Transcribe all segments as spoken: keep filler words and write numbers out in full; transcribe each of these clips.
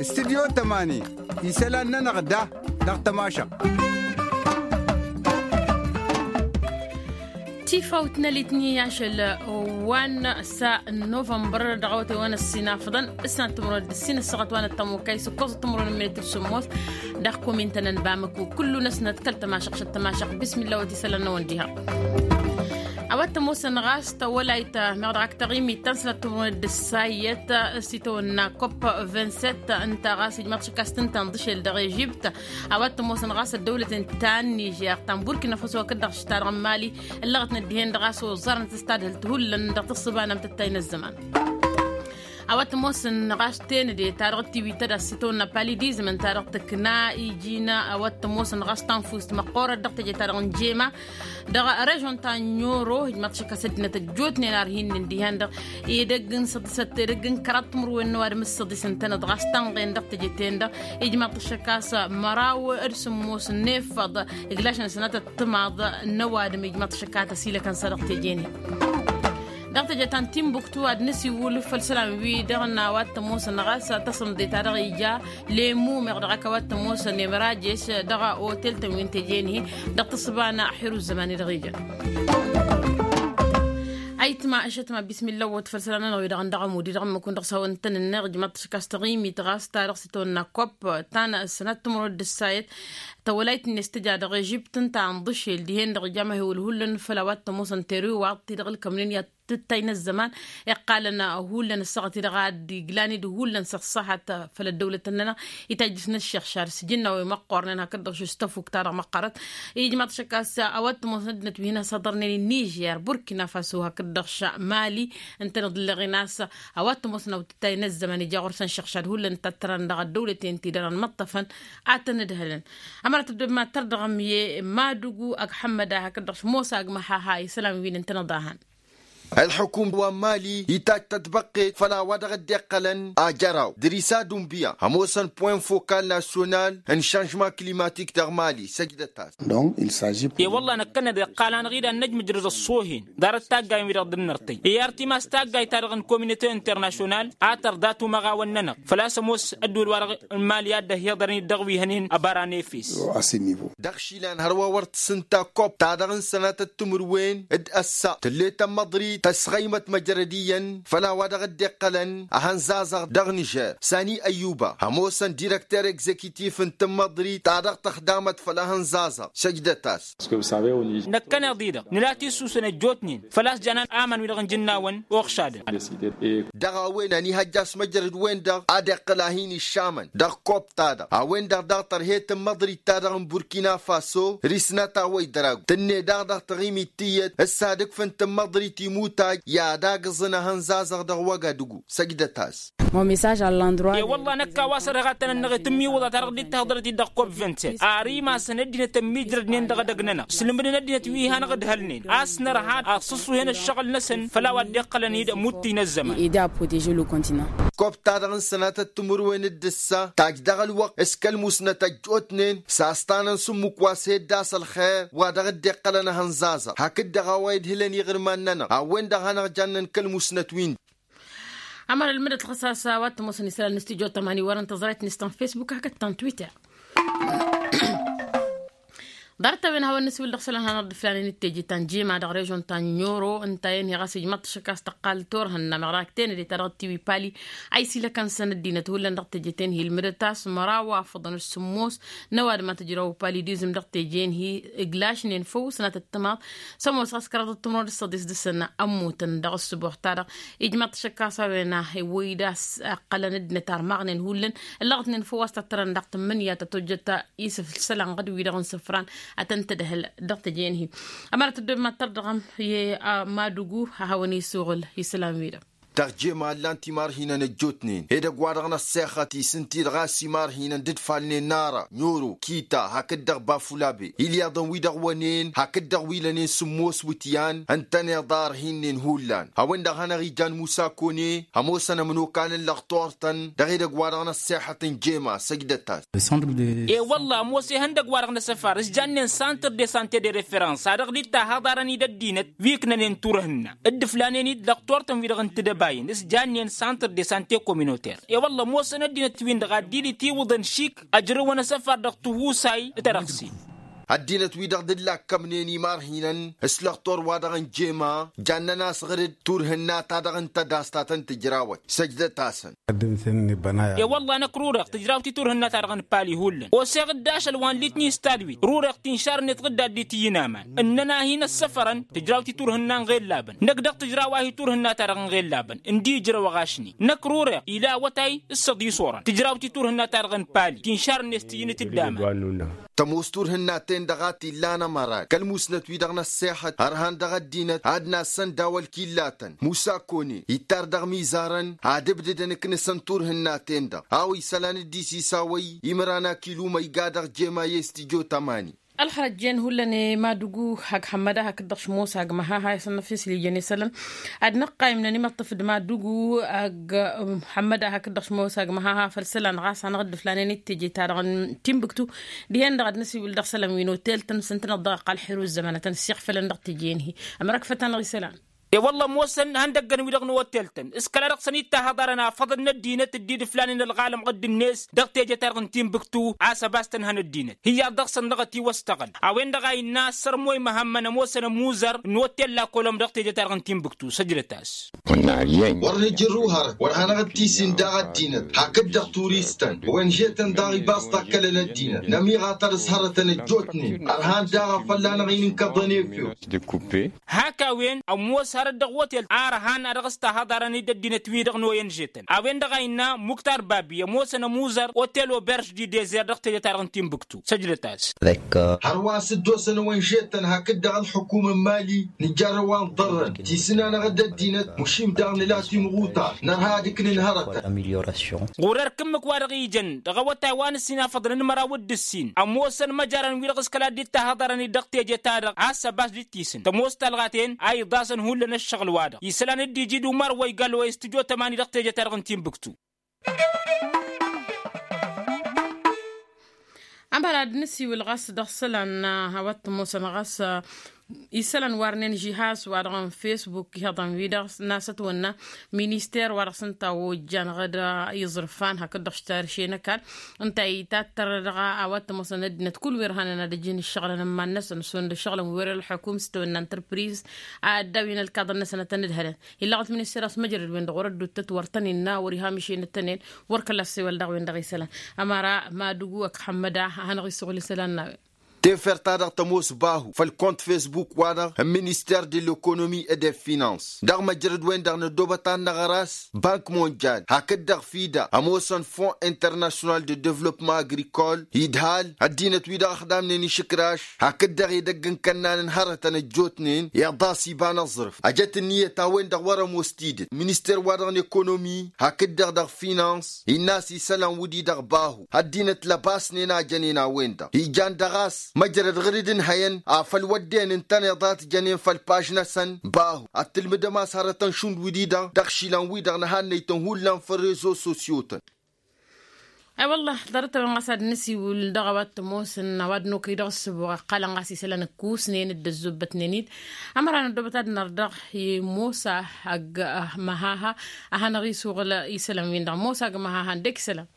Studyo tămani isălan-nănăɣ da dăɣ-tămašăɣt. Tifawt n-elitni ašăl wa n-sa n-novămbăr dăɣ-awătay wa n-ăssinafăḍăn s-năttămrăd s-inăssăɣăt wa n-ăttămokay s-ǝkkoẓăt timrăwăn n-minit d-sǝmmos. Dăɣ-komintăn n-bamăku kullu-năsnăt kăl-tămašăɣt šăt tămašăɣt bismilla wăt isălan n-awăn diha. A-wa t-ămoosăn ɣas tawălayt meɣ dăɣ-ak taɣimit ta n-sănat timrăwăn d-ǝssa iyyăt s-itawănna kopp vingt-sept ǝnta ɣas ijmaḍ šăkk a-s tǝnta n-ḍǝšel dăɣ-ežibt. A-wa t-ămoosăn ɣas ăddăwlăten ta n-nižer ta n-burkina faso hakd-dăɣ š-ta-dăɣ n-mali ǝllăɣătnăt dihen-dăɣ a-s oẓarnăt s-tadhǝlt hullan dăɣ-tǝssǝba n-amtăttay n-ăzzăman. A-wa t-ămoosăn ɣas tenăde ta dăɣ-tiwităd a-s itawănna palidizm ǝnta dăɣ-tǝkna iji n-a-wa t-ămoosăn ɣas tanfust măqqoorăt dăɣ-teje ta dăɣ-n jema dăɣ-režon ta n-oro ijmaḍ šăkk a-s ăddinăt ăjjootnen ar hin-nin dihen-dăɣ. Edăgg n-săḍisăt edăgg n-kăraḍ timǝrwen n-ăwadǝm s-săḍis ǝntăneḍ ɣas tănɣen dăɣ-teje-ten-dăɣ. Ijmaḍ-t šăkk a-s măraw d-sǝmmos n-efăḍ iglašăn sănatăt timaḍ n-ăwadǝm ijmaḍ-t šăkk a tăsilăkăn s-dăɣ teje-nin. Dăɣ-teje ta n-timbuktu ad-nǝsiwǝl făll-isălan-wi-dăɣ n-a-wa t-ămoosăn ɣas tasǝmḍe ta dăɣ-ija lemu meɣ dăɣ-ak a-wa t-ămoosăn emărajes dăɣ-otel-tăn wi n-teje-nihi dăɣ-tǝssǝba n-aḥir uzzăman-i-dăɣ ijăn. Ayǝtma ăššătma bismilla ăwwăt făll-isălan-nănăɣ wi-dăɣ n-dăɣ-ămud-i dăɣ-ǝmmǝk-wǝn dăɣ-s hawăn-tăn-ǝnneɣ ǝjmaḍ-t šăkk a-s taɣimit ɣas ta dăɣ-s itawănna kopp ta n-sănat timǝrwăt d-ǝssayăt tawălayt-net tǝja dăɣ-ežibt ǝnta a n-ḍǝšel dihen-dăɣ ija amăhewăl hullan făll-a-wa t-ămoosăn teriwaḍ-ti-dăɣ ǝlkămnen i-ad-tǝttay n-ăzzăman iqqalăn hullan ăssaɣăt-i-dăɣ ad-iglan-dd hullan s-ăṣṣahat făll-ăddăwlăt-nănăɣ. Itajjǝs n-ăššăɣšar s-ijǝnna wi măqqornen hakd-dăɣ š-tăfuk-ta-dăɣ măqqărăt. Ijmaḍ-t šăkk a-s a-wa t-ămoosăn ăddinăt wi hin-ăsăḍărnen n-nižer burkina faso hakd-dăɣ š-mali ǝntăneḍ ǝlleɣ-in a-s a-wa t-ămoosăn awǝtǝttay n-ăzzăman ija ɣur-săn šăɣšad hullan ǝnta ăttărăn dăɣ-ăddăwlăten-ti-dăɣ n-imăṭṭăfăn ad-tăn-ǝdhălăn. Ămărat ăddoob ma tărdăɣăm i-madugu ăgg ḥămmăda hakd-dăɣ š-mosa ăgg măhaha isălan wi n-ǝntăneḍ a han. Ălḥukum wa n-mali itajj tătbăqqet făll-a-wa dăɣ-dd-iqqălăn ajăraw dăr-isa dunbiya ămoosăn point fokal nasyonal n-šanžman klimatik dăɣ-mali săjdăt-as. I-wălla năkkăneḍ iqqal-anăɣ-dd ad-năj mǝjrăd ăṣṣoohen ḍarăt taggay-wi-dăɣ dd-nărtăy i-ar timas taggayt-ta-dăɣ n-kominote internasyonal a tărḍa tumăɣawăn-nănăɣ făl-a-s ămoos ăddul-wa-dăɣ n-mali a dd-ăhiḍărăn-dd dăɣ-wi hănen ăbara n-efes. Dăɣ-išilan hărwa wăr tǝssǝnta kopp ta dăɣ-n-sănatăt timǝrwen d-ăssa tǝllet ămmăḍrit tăsɣăymăt măjrăd iyyăn făll-a-wa dăɣ-dd-iqqălăn ahănzazăɣ dăɣ-nižer sani ăyyuba ămoosăn dirăkter egzekitif n-tǝmmăḍrit ta dăɣ-tăxdamăt făll-ahănzazăɣ săjdăt-as. Năkkăneḍ-i-dăɣ nǝla tissusăn ăjjootnen făl-a-s jan aman-wi-dăɣ n-ijǝnnawăn oɣšadăn. Dăɣ-a-wen ănihăjja a-s măjrăd-wen-dăɣ ad-iqqǝl a hin-iššamăn dăɣ-kopp-ta-dăɣ a-wen-dăɣ daɣ tărhe tǝmmăḍrit-ta-dăɣ n-burkina faso risnăt a-wa idăragu tǝnne daɣ dăɣ-taɣimit tiyyăt s-ad-ǝkfǝn tǝmmăḍrit imutaj i-ad-agǝẓǝn ahănzazăɣ dăɣ-wăgadǝgu săjdăt-as. I-wălla năkk a-wa s-ărheɣ ad-tăn-ănnăɣet ǝmmiwǝḍa ta dăɣ-dd-tahǝḍărăt-dd dăɣ-kopp vingt-sept ar imasăn ăddinăt ămmiijrădnen dăɣ-edăgg-nănăɣ ǝslǝmdăn ăddinăt wi hanăɣ-ǝdhălnen a-s nărha ad-sǝṣṣuhen ăššăɣǝl-năsăn făll-a-wa dd-iqqălăn-dd ămuttǝy n-ăzzăman. Aider a proteže le continent. Kopp-ta-dăɣ n-sănatăt timǝrwen d-ǝssa tajj dăɣ-ălwăqq s-kăl-musnăt ăjjootnen s-a-s tanăn s-ǝmmǝk wa s-hed-as ălxer wa dăɣ-dd-iqqălăn ahănzazăɣ hakd-dăɣ a-wa idhǝlăn iɣǝrman-nănăɣ a-wen-dăɣ hanăɣ-jannăn kăl-musnăt wi n-dd. Ămăra ǝlmǝdăt ɣas a-s a-wa t-ămoosăn isălan n-studyo tămani wărăn tăẓrayt-net ta n-facebook hakd ta n-twitter. Ḍarăt-a-wen hawăn-nǝswǝl dăɣ-isălan hanăɣ-dd-ǝflanen d-teje ta n-jema dăɣ-režon ta n-oro ǝnta a-wen hi-ɣas ijmăḍ-t šăkk a-s tăqqal turhǝnna meɣ dăɣ-ak tenăde ta dăɣ-tiwipali a isilăkăn-săn ăddinăt hullan dăɣ-teje-ten-hi ǝlmǝdăt a-s măraw afăḍăn d-sǝmmos n-ăwadǝm ad-tǝjrăw palidizm dăɣ-teje-en-hi. Iglašnen făw sănatăt timaḍ s-ămoos ɣas kăraḍăt timrăwăn d-săḍis dăɣ-săn ămmutăn dăɣ-ǝssǝbuɣ-ta-dăɣ. Ijmăḍ-t šăkk a-s a-wen a iwwăy-dd a-s ǝqqălăn ăddinăt armaɣnen hullan ǝllăɣătnen făw a-s tattărăn dăɣ-tǝmmǝnǝya ta tojjăt isǝfsăl anɣăd-wi-dăɣ n-isǝfran ad-tăn-tǝdhǝl dăɣ-teje-en-hi. Ămăra tăddob mad-tărdăɣăm i-madugu a hawăn-isuɣǝl isălan-wi-dăɣ. Tăɣjema ǝllan timarhinăn ăjjootnen edăgg-wa-dăɣ n-ăṣṣexăt-i s-ǝnta-i-dăɣ a-s imarhinăn dd-ǝfalnen nara n-oro kita hakd-dăɣ bafulabe ilyaḍăn-wi-dăɣ wănen hakd-dăɣ wi lănen sǝmmos wǝtyan ǝntăneḍ a ărhinnen hullan a-wen-dăɣ hanăɣ-ijan musa kone ămoosăn ămănokalăn lăɣ turtăn dăɣ-edăgg-wa-dăɣ n-ăṣṣexăt n-jema săjdăt-as. E-wălla ămoos ihăndăgg-wa-dăɣ n-asăfar s-jannen santăr de sante de referăns a dăɣ-dd-tahăḍarăn-dd ăddinăt wi ǝknănen turhǝnna dd-ǝflanen-dd lăɣ turtăn-wi-dăɣ n-tidăba. s-jannen santr de sante kominoter. E-wălla ămoosăn ăddinăt-win-dăɣ ad-dd-itiwǝḍăn šik ăjrăwăn asăfar dăɣ-tihusay. Tărăɣsin. Ăddinăt-wi-dăɣ dd-lakkămnen imarhinăn s-lăxtor-wa-dăɣ n-jema jannen-as ɣǝr-dd turhǝnna-ta-dăɣ n-tădast ta tăn-tǝjrawăt săjdăt-asăn. E-wălla năkk rureɣ tǝjrawt-i turhǝnna-ta-dăɣ n-pali hullan oseɣ-dd ašăl wa n-litni s-tadwit rureɣ tinšar-net ɣǝdda dd-itǝyyǝn aman ǝnnăn-ahi n-ăssăfărăn tǝjrawt-i turhǝnna n-iɣellabăn năkk dăɣ-tǝjraw-ahi turhǝnna-ta-dăɣ n-iɣellabăn ǝndi ijrăwăɣ ašni năkk rureɣ ila awătay s-săḍisorăn tǝjrawt-i turhǝnna-ta-dăɣ n-pali tinšar-net tǝyyǝnǝt-dd aman. Tămoos turhǝnna-ten-dăɣ a t-illan ămăra kăl-musnăt-wi-dăɣ n-ăssexăt ărhan dăɣ-ăddinăt ad-nassăn daw-ălkillatăn musa kone ittar dăɣ-mizarăn ad-ǝbdǝdăn ǝknǝsăn turhǝnna-ten-dăɣ a-wa isălan dd-isisawăy imran akiluma iga dăɣ-jema i-s tijo tămani. Ălxărăt jen hullan i-madugu hak hămmăda hakd-dăɣ šmosa g-măhaha isănnăf islijăn isălan ad-năqqayǝmnăn imăṭṭăf d-madugu hămmăda hakd-dăɣ šmosa g-măhaha făll-isălan ɣas hanăɣ-dd-ǝflanen i-teje-ta-dăɣ n-timbuktu. Dihen-dăɣ ad-năsiwǝl dăɣ-isălan wi n-otel-tăn s-ǝntăneḍ dăɣ-ăqqal ălḥirǝw ăzzăman ad-tăn-ǝssiɣfălăn dăɣ-teje-in-hi. Ămrăkfăt-anăɣ isălan. E-wălla ămoosăn han dăggăn-wi-dăɣ n-otel-tăn s-kăla dăɣ-săn-dd-tahăḍarăn afăḍăn n-ăddinăt dd-dd-ǝflanen ălɣalăm ɣǝdd-net dăɣ-teje-ta-dăɣ n-timbuktu a-s ăbas-tăn han ăddinăt hi-iyyăḍ dăɣ-săn dăɣ-ătiwăstăɣăl. A-wen-dăɣ a innă sărmoy măhămmăn ămoosăn ămuzăr n-otel la kolom dăɣ-teje-ta-dăɣ n-timbuktu săjdăt-as. Wăr nǝjǝrru hărăt wăr hanăɣ-dd-tisin daɣ ăddinăt hakd-dăɣ turistăn wenže-tăn daɣ ibas takkălăn ăddinăt nămiɣatăr s-hărătăn ăjjootnen ărhan daɣ a fălla-năɣ inǝnkăḍăn efew. Hak a-wen ămoos hărăt dăɣ-otel arhan a dăɣ-s tahăḍarăn-dd ăddinăt-wi-dăɣ n-oyenže-tăn a-wen-dăɣ a innă muktar babi ămoosăn ămuzăr otel oberž di dezer dăɣ-teje-ta-dăɣ n-timbuktu săjdăt-as. Hărwa a-s dd-osăn oyenže-tăn hakd-dăɣ ălxukum n-mali nǝjjarrăw wa n-iḍărrăn tisǝn-anăɣ-dd ăddinăt mušim daɣ nǝla timɣutar nărha ad-ǝknǝn hărătăn. Ɣur-erk ǝmmǝk wa dăɣ-ijăn dăɣ-awătay wa n-ǝssin afăḍăn n-măraw d-ǝssin ămoosăn măjarăn-wi-dăɣ s-kăla dd-tahăḍarăn-dd dăɣ-teje-ta-dăɣ a-s ăbas dd-tisǝn tămoos talɣa-ten a iḍasăn hullan ǝššăɣǝl-wa-dăɣ isălan dd-iji d-umar wa igall wa i-s tǝjo tămani dăɣ-teje-ta-dăɣ n-timbuktu. Ămăra ad-nǝsiwǝl ɣas dăɣ-isălan a-wa t-ămoosăn ɣas isălan warnen žihaz wa dăɣ-n facebook ihăḍăn-wi-dăɣ n-asătwănna minister wa dăɣ-s ǝnta ojjan ɣǝd iẓrǝfan hakd-dăɣ s-tarše n-ăkall ǝnta itattăr dăɣ-a-wa t-ămoosăn ăddinăt kull wi ărhanăn ad-ăjǝn ǝššăɣǝlăn n-iman-năsăn šund ǝššăɣǝlăn wi wăr-ălxukum s-tawănna n-tărpriz ad-dd-awǝyăn ălkaḍăn-năsăn ad-tăn-ǝdhălăn. Illăɣăt minister a-s măjrăd-wen-dăɣ wăr-ădduttăt wăr tăn-innă wăr-iha măšenăt-tăn-en wăr kăla ăssewăl daɣ-wen-dăɣ isălan. Ămăra madugu ăkk hămmăda a hanăɣ-isuɣǝl isălan n-a-wen. Tefert-ta-dăɣ tămoos bahu făll-kont facebook-wa-dăɣ n-minister de l-ekonomi et de finans dăɣ-măjrăd-wen-dăɣ n-ăddoobăt ad-năɣăr a-s bank monjal hakd-dăɣ fida ămoosăn fon international de development agrikol idhal ăddinăt-wi-dăɣ ăxdamnen išǝkraš hakd-dăɣ edăgg n-kănnan n-hărătăn ăjjootnen iḍas iba n-aẓrǝf ăjăt ǝnniyăt a-wen-dăɣ wăr-ămoos tidǝt minister-wa-dăɣ n-ekonomi hakd-dăɣ dăɣ-finans innă a-s isălan wǝddi-dăɣ bahu ăddinăt lăbasnen a jănen a-wen-dăɣ ijan dăɣ-a-s măjrăd ɣǝr-dd ǝnhăyăn afăl wădden ǝntăneḍ a t-jănen făll-paž-năsăn bahu ad-tǝlmǝdăm a-s hărătăn šund wǝddi-dăɣ dăɣ-išilan-wi-dăɣ n-ehannăytăn hullan făll-rezo sosyo-tăn. Ay-wălla ḍarăt-a-wen ɣas ad-nǝsiwǝl dăɣ-a-wa t-ămoosăn a-wa dd-nokăy dăɣ-ǝssǝboɣ ăqqalăn ɣas isălan ǝkkusnen dd-ăzzubbătnen-dd. Ămăra n-ăddoobăt ad-năr dăɣ-i mosa ăgg măhaha a hanăɣ-isuɣǝl isălan-win-dăɣ mosa ăgg măhaha ǝndek isălan.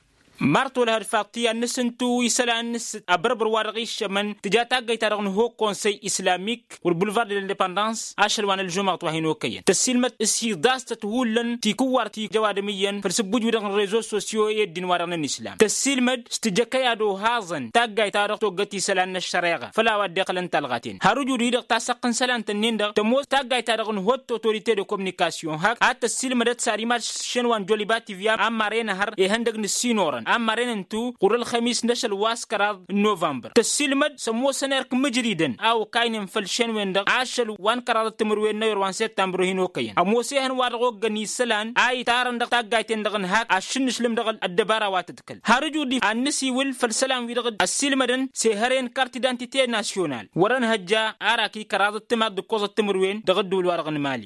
Marto lăhăd faḍt i-ad-nǝsǝntu isălan n-ǝssǝt abărbăr wa dăɣ-iššămăn tǝja taggayt-ta-dăɣ n-hok konsăy islamik wăr bulvar de l-indepăndans ašăl wa n-ălžumăɣăt wa hin-okăyăn tăssiilmăd s-iḍas-tăt hullan tikǝwwar ti jăwadăm iyyăn făll-sǝbbuj-wi-dăɣ n-rezo sosyo i-ăddin-wa-dăɣ n-ănislam tăssiilmăd s-tǝjăkăy ad-ohaẓăn taggayt-ta-dăɣ toggăt isălan n-ăššăreɣa făll-a-wa dd-iqqălăn talɣa-ten har ǝjud-hi-dăɣ tasăqq n-isălan-tăn-in-dăɣ tămoos taggayt-ta-dăɣ n-hot otorite de kominikasyon hak ad-tăssiilmădăt s-ad-imaš šenwa n-joliba tivya ammar enăhăr ihăndăg n-ǝssin orăn ammar enǝntu ɣur-ălxămis n-ašăl wa s-kăraḍ n-novămbăr tăssiilmăd s-ămoosăn erk mǝjridăn a okaynen făll-šenwen-dăɣ ašăl wa n-kăraḍăt timǝrwen n-ayăr wa n-settămbăr hin-okăyăn ămoos ehăn wa dăɣ-oggăn isălan a itarăn dăɣ-taggayt-en-dăɣ n-hak aššǝnnǝšlǝm dăɣ-ăddăbara wa tǝdkăl har ǝjud-i ad-nǝsiwǝl făll-isălan-wi-dăɣ ăssiilmădăn s-ehărăyăn kart identite nasyonal wăr-ănhăjja arak i-kăraḍăt timaḍ d-ǝkkoẓăt timǝrwen dăɣ-ǝddǝwǝl-wa-dăɣ n-mali.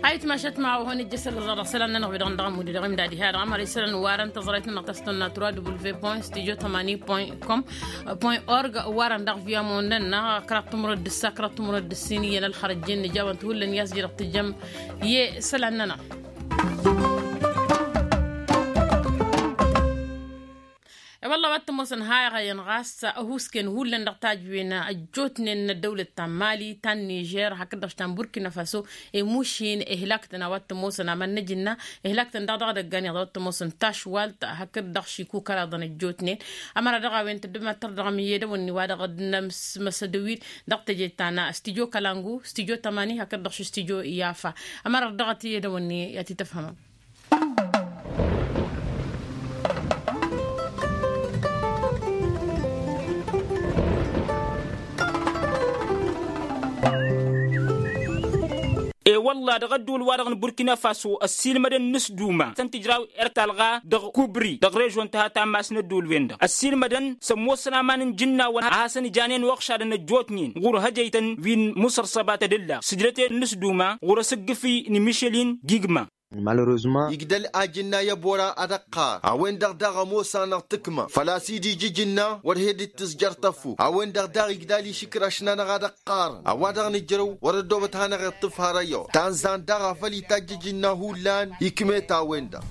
Ayǝtmašat ma ohăn ijjăsăl ăẓrăɣ dăɣ-isălan-nănăɣ wi dăɣ-năndăɣ ămudde dăɣ-imdadi ha dăɣ-amăra isălan warăn tăẓrayt-nănăɣ ta s-tănna tura dubul ve point studio tămani point com point org warăn dăɣ-viamon-nănăɣ kăraḍ timǝrăt d-ǝssa kăraḍ timǝrăt d-ǝssin iyyăn ălxărăt jenne jawăn-t hullan i-a-s jidăɣ tǝjjăm. I-isălan-nănăɣ i-wălla wa t-ămoosăn hayɣăyăn ɣas ăhuusken hullan dăɣ-tajǝwen ăjjootnen n-ăddăwlăt ta n-mali ta n-nižer hakd-dăɣ ta n-burkina faso. Imušin ihlaktăn a-wa t-ămoosăn aman n-ajǝnna ihlaktăn daɣ dăɣ-idăggan iyyăḍ a-wa t-ămoosăn tašwalt hakd-dăɣ šikukăraḍăn ăjjootnen. Ămăra dăɣ-a-wen tăddămăttăr dăɣ-miyedăwănni wa dăɣ-dd-nămsmăsădăwid dăɣ-teje ta n-studyo kălangu studyo tămani hakd-dăɣ ši studyo yafa. Ămăra dăɣ-t iyyedăwănni i-ad-t-tăfhămăm. E-wălla dăɣ-ădduul-wa-dăɣ n-burkina faso ăssiilmădăn n-s duma s-ăntǝjraw erk talɣa dăɣ-kubri dăɣ-režon tăha ta n-mass n-ădduul-wen-dăɣ ăssiilmădăn s-ămoosăn aman n-ijǝnnawăn a hasăn-ijanen oɣšadăn ăjjootnen ɣur-hăjăytăn wi n-musărsăba tadǝlla sǝjdăten n-s duma ɣur-asǝggǝfi n-mišelin gigma. Igdăl ajǝnna i-ăbora ad-ăqqar a-wen-dăɣ daɣ ămoos-anăɣ tǝkma făl-a-s dd-ija ijǝnna wăr he-dd-tǝzjăr tăfuk a-wen-dăɣ daɣ igdal išǝkraš-nănăɣ ad-ăqqarăn a-wa-dăɣ nǝjrăw wăr-ăddoobăt hanăɣ-iṭṭǝf har ăyyoḍ tanzan daɣ a făl itajj ijǝnna hullan ikmet a-wen-dăɣ.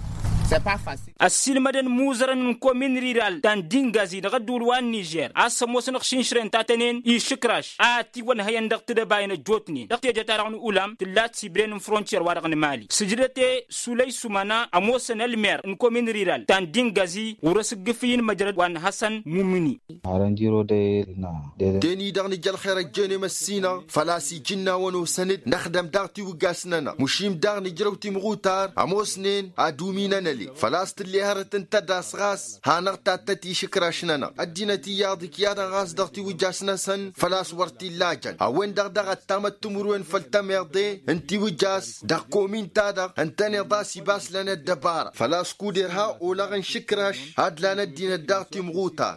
Ăssiilmădăn imuzărăn n-komin riral ta n-dingazi dăɣ-ădduul wa n-nižer a-s ămoosăn ăɣšinšren tatănen išǝkraš a ătiwănhăyăn dăɣ-tedăbayăn ăjjootnen dăɣ-teje-ta-dăɣ n-ulam tǝllat sibren n-frontiyer-wa-dăɣ n-mali sǝjdăte sulăy sumana ămoosăn ălmer n-komin riral ta n-dingazi ɣur-asǝggǝfǝy n-măjrăd wa n-hăsăn mumǝni. Arănjiro de na de-dăɣ. Deni-dăɣ nǝj' ălxer ăjjeenem ăssinăɣ făl-a-s ijǝnnawăn osăn-dd năxdăm daɣ tiwǝggas-nănăɣ mušim daɣ nǝjrăw timɣutar ămoosnen ad-uminăn ăle făl-a-s tǝlle hărăt ǝnta a-s ɣas hanăɣ-tattăt išǝkraš-nănăɣ ăddinăt iyyăḍ ikyadăn ɣas dăɣ-tiwǝjjas-năsăn făl-a-s wăr t-illajăn a-wen-dăɣ daɣ ăttamăt timǝrwen făll-tămeḍe n-tiwǝjjas dăɣ-komin-ta-dăɣ ǝntăneḍ a-s ibas lăn ăddăbara făl-a-s kuder ha olaɣ n-išǝkraš ad-lan ăddinăt daɣ timɣutar.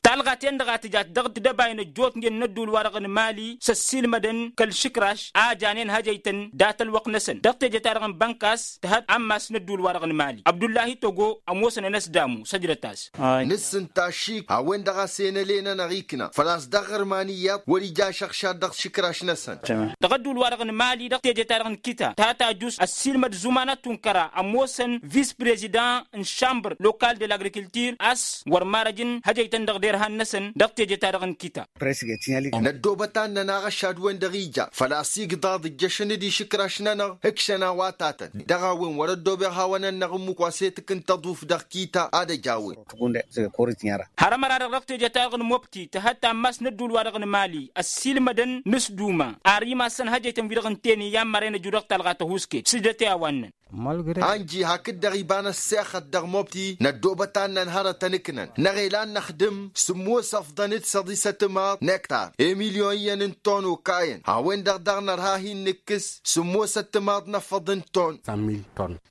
Talɣa-ten-dăɣ a tǝjat dăɣ-tidăbayăn ăjjootnen n-ădduul-wa-dăɣ n-mali s-ăssiilmădăn kăl-išǝkraš a janen hăjăytăn dat-ălwăqq-năsăn dăɣ-teje-ta-dăɣ n-bănkas tǝhăt ammas n-ădduul-wa-dăɣ n-mali abdullahi togo ămoosăn ănăsdamu săjdăt-as. Nǝssǝnta ašik a-wen-dăɣ a-s enăle-nănăɣ ikna făl-a-s dăɣ-ɣărman iyyăḍ wăr-ija ašăɣšad dăɣ-išǝkraš-năsăn. Dăɣ-ădduul-wa-dăɣ n-mali dăɣ-teje-ta-dăɣ n-kita ta tajus ăssiilmăd zumana tunkăra ămoosăn vis-prezidant n-šambăr lokal de l-agrikiltir a-s wăr marăjăn hăjăytăn dăɣ-derhan-năsăn dăɣ-teje-ta-dăɣ n-kita. Năddoobăt ad-nănaɣ ăššad-wen-dăɣ ija făl-a-s igḍaḍ ǝjjăšăn-dd išǝkraš-nănăɣ ǝkšăn a-wa tatăn dăɣ-a-wen wăr-ăddoobeɣ hawăn-ănnăɣ ǝmmǝk wa s-e-tǝkǝntăḍ uf dăɣ-kita ad-ăj a-wen. Har ămăra-dăɣ dăɣ-teje-ta-dăɣ n-mobti tǝhăt ammas n-ădduul-wa-dăɣ n-mali ăssiilmădăn n-s duma ar imassăn hăjăytăn wi-dăɣ ǝnta-en i-ammăren ăju dăɣ-talɣa tăhuusket s-dd-ătwănnăn. Anji hakd-dăɣ iba n-ăssexăt dăɣ-mobti năddoobăt ad-nănhărătăn ǝknăn năɣ elan năxdǝm sǝmmos ăfḍăn d-săḍisăt timaḍ n-ektar i-milyon iyyăn n-ton okayăn a-wen-dăɣ daɣ nărha hin-nǝkkǝs sǝmmos ăttimaḍ n-afăḍ n-ton.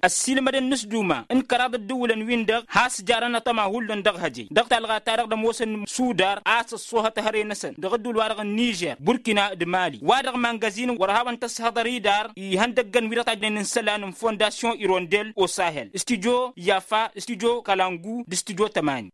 Ăssiilmădăn n-s duma n-kăraḍ ǝddǝwǝlăn-win-dăɣ has-jarăn aṭăma hullan dăɣ-hăjăy dăɣ-talɣa-ta-dăɣ d-ămoosăn sudar a-s ăṣṣoohăt hărăy-năsăn dăɣ-ădduul-wa-dăɣ n-nižer burkina d-mali wa dăɣ-mangăzin wăr hawăn-tăshăḍăr idar ihăndăggăn wi-dăɣ tajnen n-isălan n-fondasyon irondel osahel studyo yafa studyo kalangu d-studyo tămani.